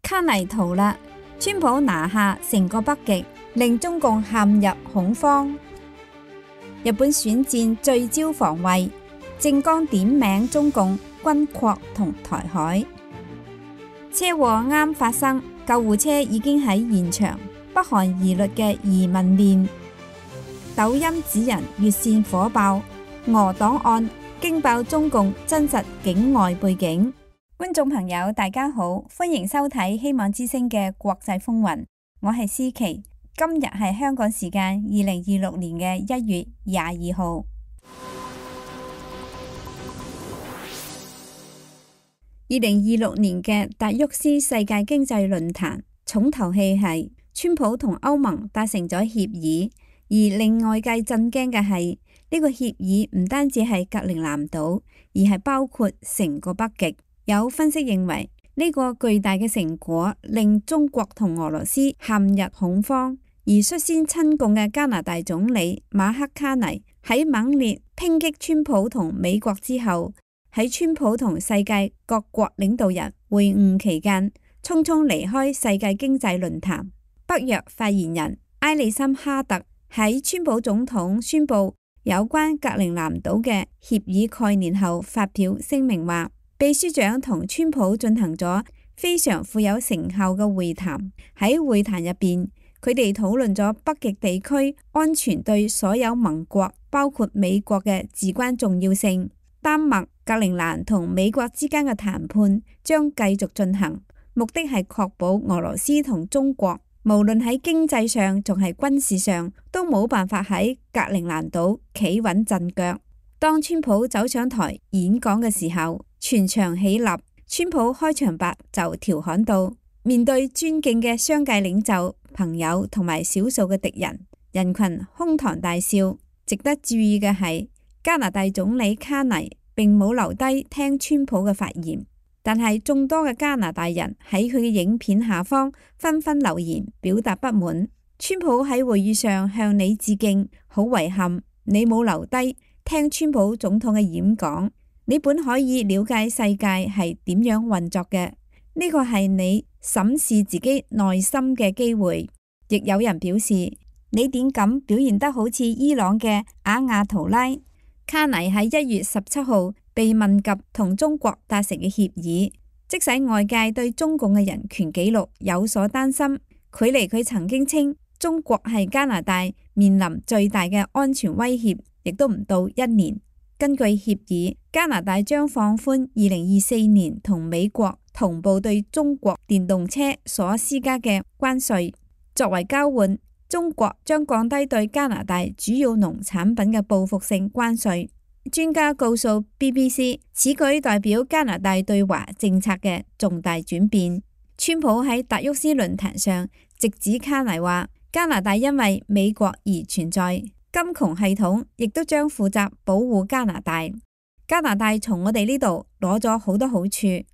卡尼逃啦，川普拿下成個北極，令中共陷入恐慌。日本選戰聚焦防衛，政綱點名中共軍擴同台海。車禍啱發生，救護車已經喺現場。北韓疑慮嘅移民鏈，抖音指人越線火爆，俄檔案驚爆中共真實境外背景。觀眾朋友大家好，歡迎收睇希望之聲嘅國際風雲，我係思琪。今日係香港時間2026年嘅1月22號。2026年嘅達沃斯世界經濟論壇重頭戲係川普同歐盟達成咗協議，而令外界震驚嘅係呢個協議唔單止係格陵蘭島，而係包括成個北極。有分析認為呢個巨大嘅成果令中國同俄羅斯陷入恐慌，而率先親共嘅加拿大總理馬克卡尼喺猛烈抨擊川普同美國之後，喺川普同世界各國領導人會晤期間匆匆離開世界經濟論壇。北約發言人埃利森哈特喺川普總統宣布有關格陵蘭島嘅協議概念後發表聲明話，秘書長同川普進行咗非常富有成效嘅會談。喺會談入邊，佢哋討論咗北極地區安全對所有盟國包括美國嘅至關重要性。丹麥、格陵蘭同美國之間嘅談判將繼續進行，目的係確保俄羅斯同中國無論喺經濟上仲係軍事上都冇辦法喺格陵蘭島企穩陣腳。當川普走上台演講嘅時候，全場起立。川普開場白就調侃道：面對尊敬嘅商界領袖、朋友同埋少數嘅敵人，人群哄堂大笑。值得注意嘅係，加拿大總理卡尼並冇留低聽川普嘅發言，但係眾多嘅加拿大人喺佢嘅影片下方紛紛留言表達不滿。川普喺會議上向你致敬，好遺憾你冇留低聽川普總統嘅演講。你本可以了解世界係點樣運作嘅，呢個係你審視自己內心嘅機會。亦有人表示，你點咁表現得好似伊朗嘅阿亞圖拉。卡尼喺1月17號被問及同中國達成嘅協議，即使外界對中共嘅人權紀錄有所擔心，距離佢曾經稱中國係加拿大面臨最大嘅安全威脅，亦都唔到1年。根據協議，加拿大將放寬2024年同美國同步對中國電動車所施加嘅關稅。作為交換，中國將降低對加拿大主要農產品嘅報復性關稅。專家告訴 BBC， 此舉代表加拿大對華政策嘅重大轉變。川普喺達沃斯論壇上直指卡尼話，加拿大因為美國而存在。金窮系統亦都將負責保護加拿大。加拿大從我哋呢度攞咗好多好處，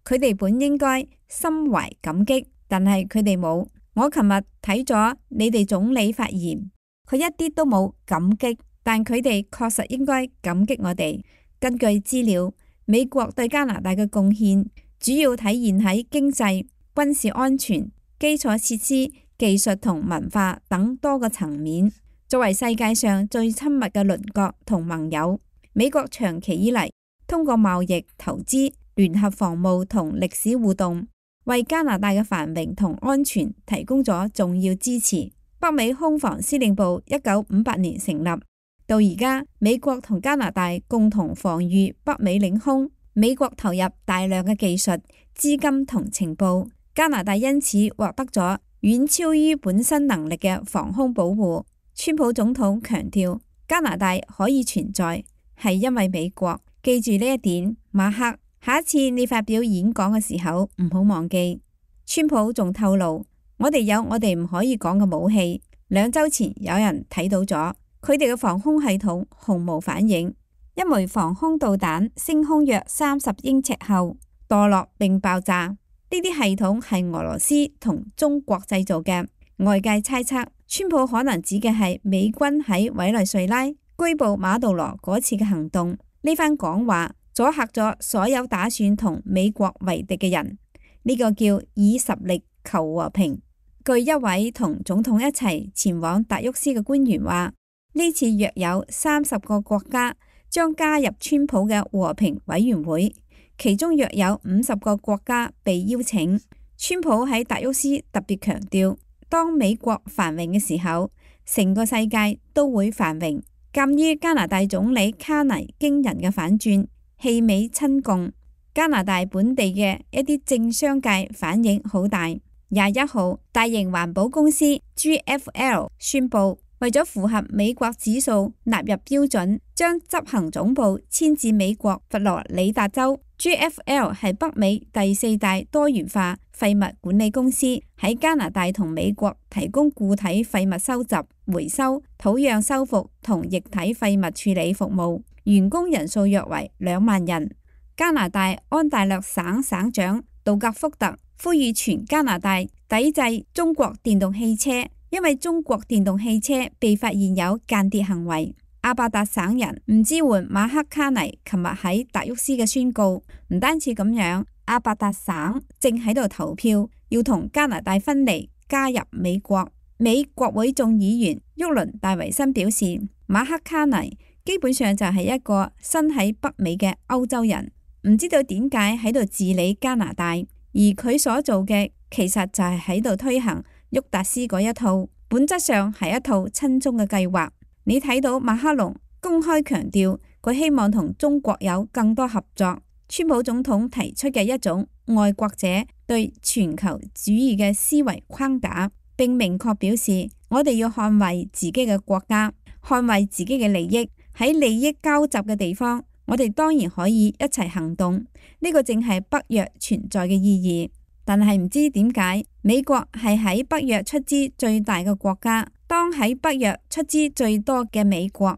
佢哋本應該心懷感激，但係佢哋冇。我琴日睇咗你哋總理發言，佢一啲都冇感激，但佢哋確實應該感激我哋。根據資料，美國對加拿大嘅貢獻主要體現喺經濟、軍事安全、基礎設施、技術同文化等多個層面。作為世界上最親密嘅鄰國同盟友，美國長期以嚟通過貿易、投資、聯合防務同歷史互動，為加拿大嘅繁榮同安全提供咗重要支持。北美空防司令部1958年成立，到而家美國同加拿大共同防禦北美領空。美國投入大量嘅技術、資金同情報，加拿大因此獲得咗遠超於本身能力嘅防空保護。川普總統強調，加拿大可以存在係因為美國。記住呢一點，馬克，下一次你發表演講嘅時候唔好忘記。川普仲透露，我哋有我哋唔可以講嘅武器。2週前有人睇到咗，佢哋嘅防空系統毫無反應。一枚防空導彈升空約30英尺後墮落並爆炸，呢啲系統係俄羅斯同中國製造嘅。外界猜測，川普可能指嘅係美軍喺委內瑞拉拘捕馬杜羅嗰次嘅行動。呢番講話阻嚇咗所有打算同美國為敵嘅人。呢個叫以實力求和平。據一位同總統一齊前往達沃斯嘅官員話，呢次約有30個國家將加入川普嘅和平委員會，其中約有50個國家被邀請。川普喺達沃斯特別強調，當美國繁榮嘅時候，成個世界都會繁榮。鑑於加拿大總理卡尼驚人嘅反轉，棄美親共，加拿大本地嘅一啲政商界反應好大。21號，大型環保公司 GFL 宣布，為咗符合美國指數納入標準，將執行總部遷至美國佛羅里達州。GFL 係北美第4大多元化廢物管理公司，喺加拿大同美國提供固體廢物收集、回收、土壤修復同液體廢物處理服務，員工人數約為2萬人。加拿大安大略省省長杜格福特呼籲全加拿大抵制中國電動汽車，因為中國電動汽車被發現有間諜行為。阿伯達省人唔支援馬克卡尼琴日喺達沃斯嘅宣告，唔單止咁樣，阿伯達省正喺度投票要同加拿大分離，加入美國。美國會眾議員沃倫戴維森表示，馬克卡尼基本上就係一個身喺北美嘅歐洲人，唔知道點解喺度治理加拿大，而佢所做嘅其實就係喺度推行沃達斯嗰一套，本質上係一套親中嘅計劃。你睇到馬克龍公開強調佢希望同中國有更多合作，川普總統提出嘅一種愛國者對全球主義嘅思維框架，並明確表示我哋要捍衛自己嘅國家，捍衛自己嘅利益。喺利益交集嘅地方，我哋當然可以一齊行動，呢個正係北約存在嘅意義。但係唔知點解，美國係喺北約出資最大嘅國家，當喺北約出資最多嘅美國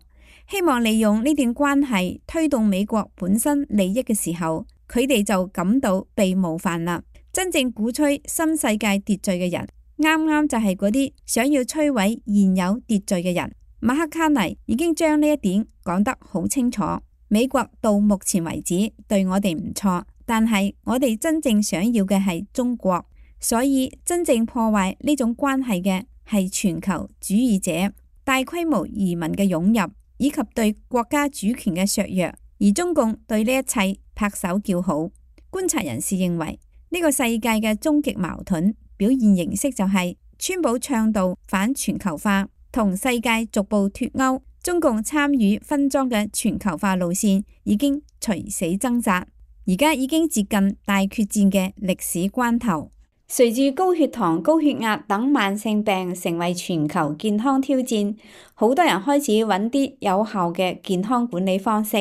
希望利用呢段關係推動美國本身利益嘅時候，佢哋就感到被冒犯啦。真正鼓吹新世界秩序嘅人，啱啱就係嗰啲想要摧毀現有秩序嘅人。馬克卡尼已經將呢一點講得好清楚。美國到目前為止對我哋唔錯，但係我哋真正想要嘅係中國，所以真正破壞呢種關係嘅係全球主義者、大規模移民嘅湧入，以及對國家主權嘅削弱，而中共對呢一切拍手叫好。觀察人士認為，呢個世界嘅終極矛盾表現形式就係川普倡導反全球化，同世界逐步脫鈎。中共參與分贓嘅全球化路線已經垂死掙扎，而家已經接近大決戰嘅歷史關頭。隨住高血糖、高血壓等慢性病成為全球健康挑戰，好多人開始揾啲有效嘅健康管理方式。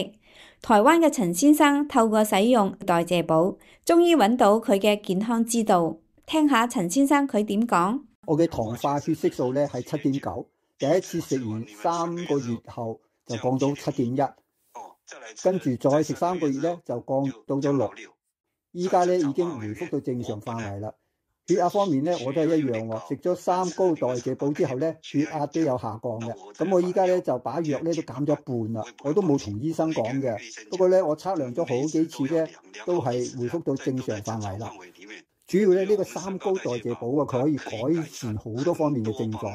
台灣嘅陳先生透過使用代謝寶，終於揾到佢嘅健康之道。聽下陳先生佢點講。我嘅糖化血色素咧係7.9，第一次食完3個月後就降到7.1，跟住再食3個月咧就降到咗6，依家咧已經回復到正常範圍啦。血壓方面咧我都係一樣喎，食咗3高代謝寶之後咧血壓都有下降嘅。咁我依家咧就把藥咧都減咗一半啦，我都冇同醫生講嘅。不過咧我測量咗好幾次咧都係回復到正常範圍啦。主要咧呢個3高代謝寶啊，佢可以改善好多方面嘅症狀，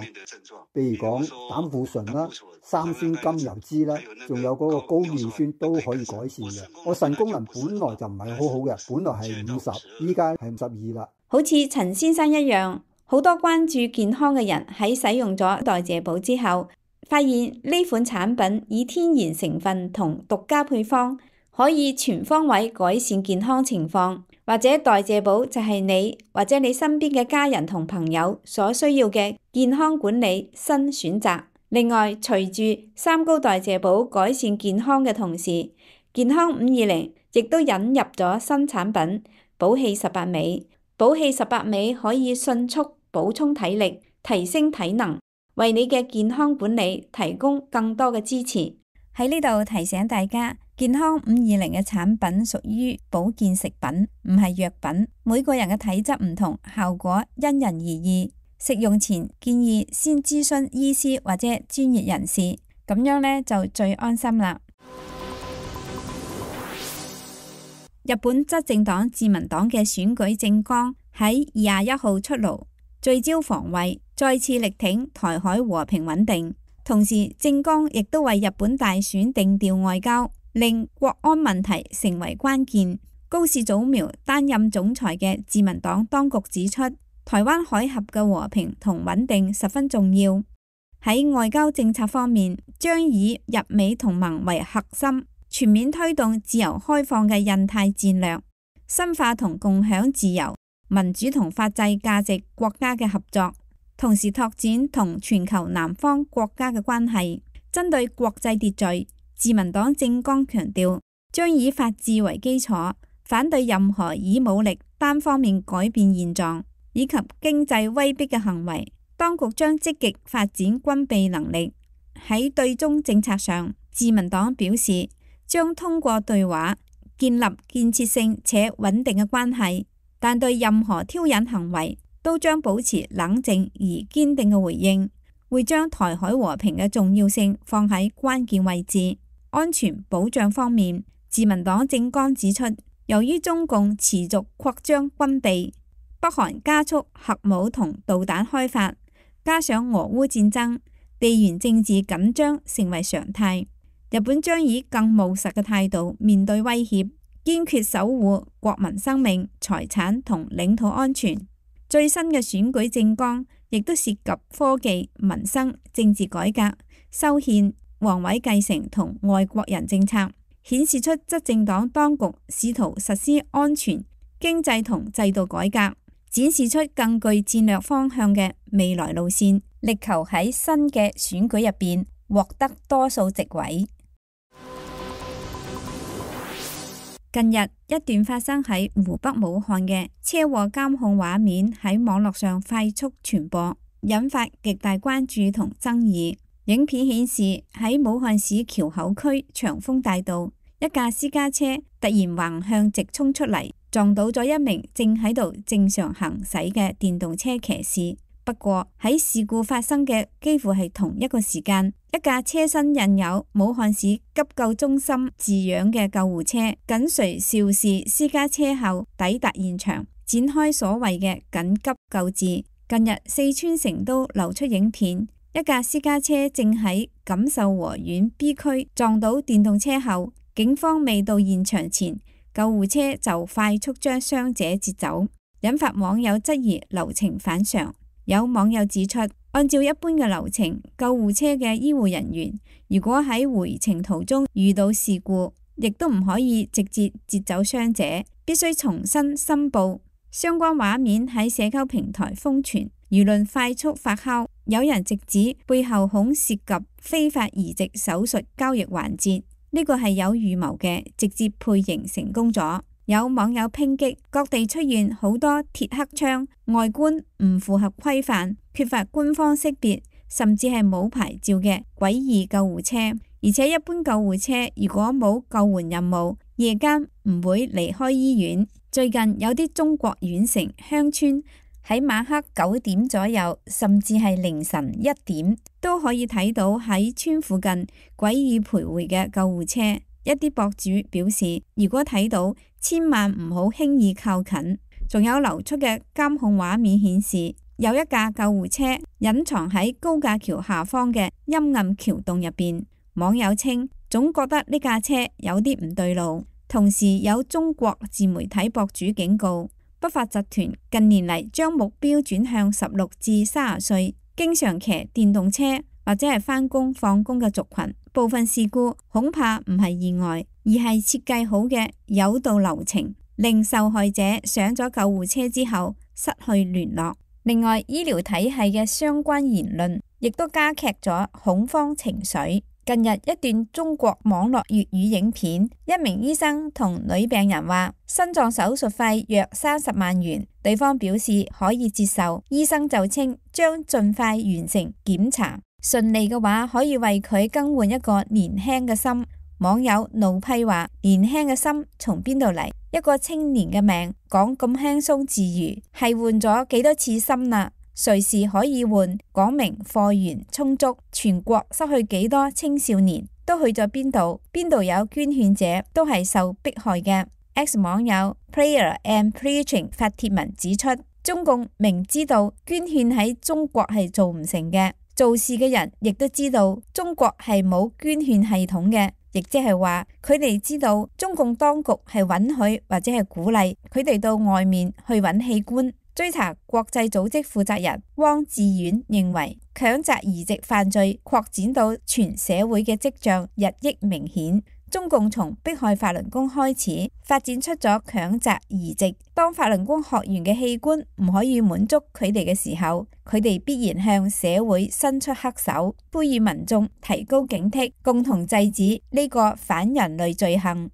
譬如講膽固醇啦、三酸甘油脂啦，仲有嗰個高尿酸都可以改善嘅。我腎功能本來就唔係好好嘅，本來係50，依家係52啦。好似陳先生一樣，好多關注健康嘅人喺使用咗代謝寶之後，發現呢款產品以天然成分同獨家配方，可以全方位改善健康情況。或者代謝寶就係你或者你身邊嘅家人同朋友所需要嘅健康管理新選擇。另外，隨住3高代謝寶改善健康嘅同時，健康520亦都引入咗新產品寶氣18味。寶氣18味可以迅速補充體力，提升體能，為你嘅健康管理提供更多嘅支持。喺呢度提醒大家，健康520嘅產品屬於保健食品，唔係藥品。每個人嘅體質唔同，效果因人而異。食用前建議先諮詢醫師或者專業人士，咁樣呢就最安心啦。日本執政黨自民黨嘅選舉政綱喺21號出爐，聚焦防衛，再次力挺台海和平穩定。同時，政綱亦都為日本大選定調外交，令國安問題成為關鍵。高市早苗擔任總裁嘅自民黨當局指出，台灣海峽嘅和平同穩定十分重要。喺外交政策方面，將以日美同盟為核心，全面推動自由開放嘅印太戰略，深化同共享自由、民主同法治價值國家嘅合作，同時拓展同全球南方國家嘅關係。針對國際秩序，自民黨政綱強調，將以法治為基礎，反對任何以武力單方面改變現狀以及經濟威逼嘅行為。當局將積極發展軍備能力。喺對中政策上，自民黨表示將通過對話建立建設性且穩定嘅關係，但對任何挑釁行為都將保持冷靜而堅定嘅回應，會將台海和平嘅重要性放喺關鍵位置。安全保障方面，自民黨政綱指出，由於中共持續擴張軍備，北韓加速核武同導彈開發，加上俄烏戰爭，地緣政治緊張成為常態。日本將以更務實嘅態度面對威脅，堅決守護國民生命、財產同領土安全。最新嘅選舉政綱亦都涉及科技、民生、政治改革、修憲、皇位繼承同外國人政策，顯示出執政黨當局試圖實施安全、經濟同制度改革，展示出更具戰略方向嘅未來路線，力求喺新嘅選舉入邊獲得多數席位。近日一段發生喺湖北武漢嘅車禍監控畫面喺網絡上快速傳播，引發極大關注同爭議。影片顯示喺武漢市橋口區長豐大道，一架私家車突然橫向直衝出嚟，撞到咗一名正喺度正常行駛嘅電動車騎士。不過喺事故發生嘅幾乎係同一個時間，一架車身印有武漢市急救中心字樣嘅救護車緊隨肇事私家車後抵達現場，展開所謂嘅緊急救治。近日四川成都流出影片，一架私家車正喺錦繡河縣 B 區撞到電動車後，警方未到現場前，救護車就快速將傷者截走，引發網友質疑流程反常。有網友指出，按照一般嘅流程，救護車嘅醫護人員如果喺回程途中遇到事故，亦都唔可以直接截走傷者，必須重新申報。相關畫面喺社交平台瘋傳，輿論快速發酵，有人直指背後恐涉及非法移植手術交易環節，呢個係有預謀嘅，直接配型成功咗。有網友抨擊各地出現好多鐵黑槍，外觀唔符合規範，缺乏官方識別，甚至係冇牌照嘅詭異救護車。而且一般救護車如果冇救援任務，夜間唔會離開醫院。最近有啲中國縣城鄉村喺晚黑9點左右，甚至係凌晨1點，都可以睇到喺村附近詭異徘徊嘅救護車。一啲博主表示，如果睇到，千萬唔好輕易靠近。仲有流出嘅監控畫面顯示，有一架救護車隱藏喺高架橋下方嘅陰暗橋洞入邊。網友稱，總覺得呢架車有啲唔對路。同時有中國自媒體博主警告，不法集團近年嚟將目標轉向16至30歲，經常騎電動車或者係返工放工嘅族群。部分事故恐怕唔係意外，而係設計好嘅誘導流程，令受害者上咗救護車之後失去聯絡。另外，醫療體系嘅相關言論亦都加劇咗恐慌情緒。近日一段中國網絡粵語影片，一名醫生同女病人話心臟手術費約30萬元，對方表示可以接受，醫生就稱將盡快完成檢查，順利嘅話可以為佢更換一個年輕嘅心。網友怒批話：年輕嘅心從邊度嚟？一個青年嘅命講咁輕鬆自如，係換咗幾多次心啦？隨時可以換，講明貨源充足。全國失去幾多青少年，都去咗邊度？邊度有捐獻者，都係受迫害嘅。X 網友 Prayer and Preaching 發帖文指出，中共明知道捐獻喺中國係做唔成嘅，做事嘅人亦都知道中國係冇捐獻系統嘅，亦即係話佢哋知道中共當局係允許或者係鼓勵佢哋到外面去揾器官。追查國際組織負責人汪志遠認為，強摘移植犯罪擴展到全社會嘅跡象日益明顯。中共從迫害法輪功開始，發展出咗強摘移植。當法輪功學員嘅器官唔可以滿足佢哋嘅時候，佢哋必然向社會伸出黑手，呼籲民眾提高警惕，共同制止呢個反人類罪行。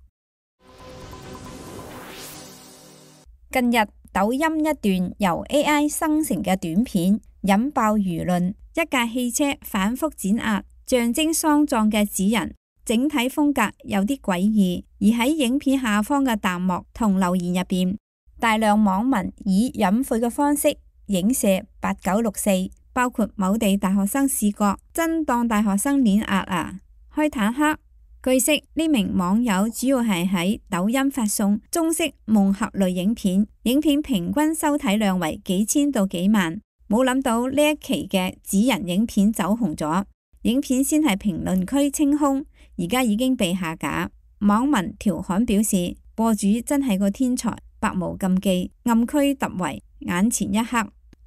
近日，抖音一段由 AI 生成嘅短片引爆輿論，一架汽車反覆碾壓，象徵喪葬嘅紙人，整體風格有啲詭異。而喺影片下方嘅彈幕同留言入邊，大量網民以隱晦嘅方式影射8964，包括某地大學生視覺真當大學生碾壓啊，開坦克。據悉，呢名網友主要係喺抖音發送中式夢俠類影片，影片平均收睇量為幾千到幾萬。冇諗到呢一期嘅紙人影片走紅咗，影片先係評論區清空，而家已經被下架。網民調侃表示，播主真係個天才，百無禁忌，暗區突圍，眼前一黑。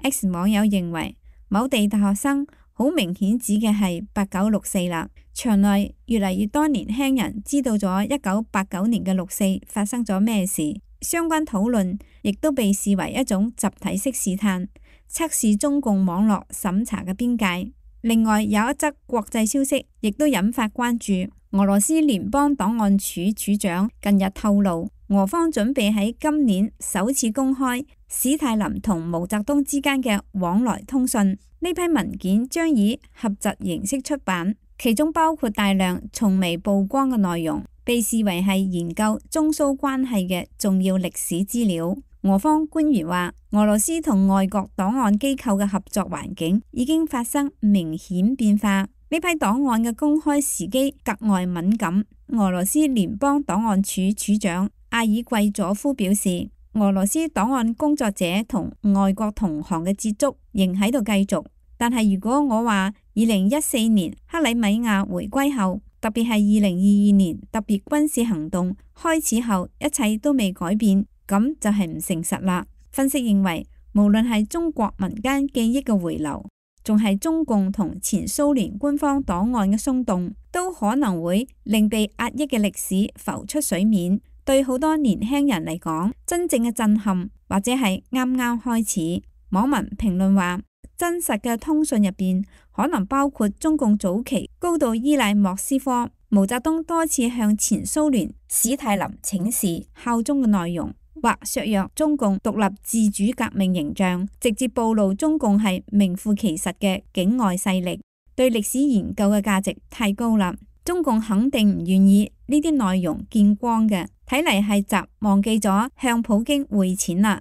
X 網友認為某地大學生好明顯指嘅係8964啦。場內越嚟越多年輕人知道咗1989年嘅六四發生咗咩事，相關討論亦都被視為一種集體式試探，測試中共網絡審查嘅邊界。另外有一則國際消息亦都引發關注，俄羅斯聯邦檔案處處長近日透露，俄方準備喺今年首次公開史太林同毛澤東之間嘅往來通訊。呢批文件將以合集形式出版，其中包括大量從未曝光嘅內容，被視為係研究中蘇關係嘅重要歷史資料。俄方官員話，俄羅斯同外國檔案機構嘅合作環境已經發生明顯變化，呢批檔案嘅公開時機格外敏感。俄羅斯聯邦檔案處處長阿爾季佐夫表示，俄羅斯檔案工作者同外國同行嘅接觸仍喺度繼續，但係如果我話2014年克里米亞回歸後，特別係2022年特別軍事行動開始後，一切都未改變，咁就係唔誠實啦。分析認為，無論係中國民間記憶嘅回流，仲係中共同前蘇聯官方檔案嘅鬆動，都可能會令被壓抑嘅歷史浮出水面。對好多年輕人嚟講，真正嘅震撼或者係啱啱開始。網民評論話，真實嘅通訊入邊可能包括中共早期高度依賴莫斯科、毛澤東多次向前蘇聯史太林請示效忠嘅內容，或削弱中共獨立自主革命形象，直接暴露中共係名副其實嘅境外勢力。對歷史研究嘅價值太高啦，中共肯定唔願意呢啲內容見光嘅。睇嚟係習忘記咗向普京匯錢啦。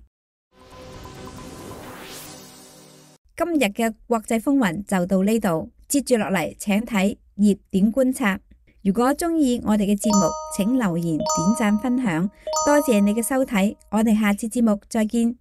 今日嘅國際風雲就到呢度，接住落嚟請睇熱點觀察。如果中意我哋嘅節目，請留言、點讚、分享，多謝你嘅收睇，我哋下次節目再見。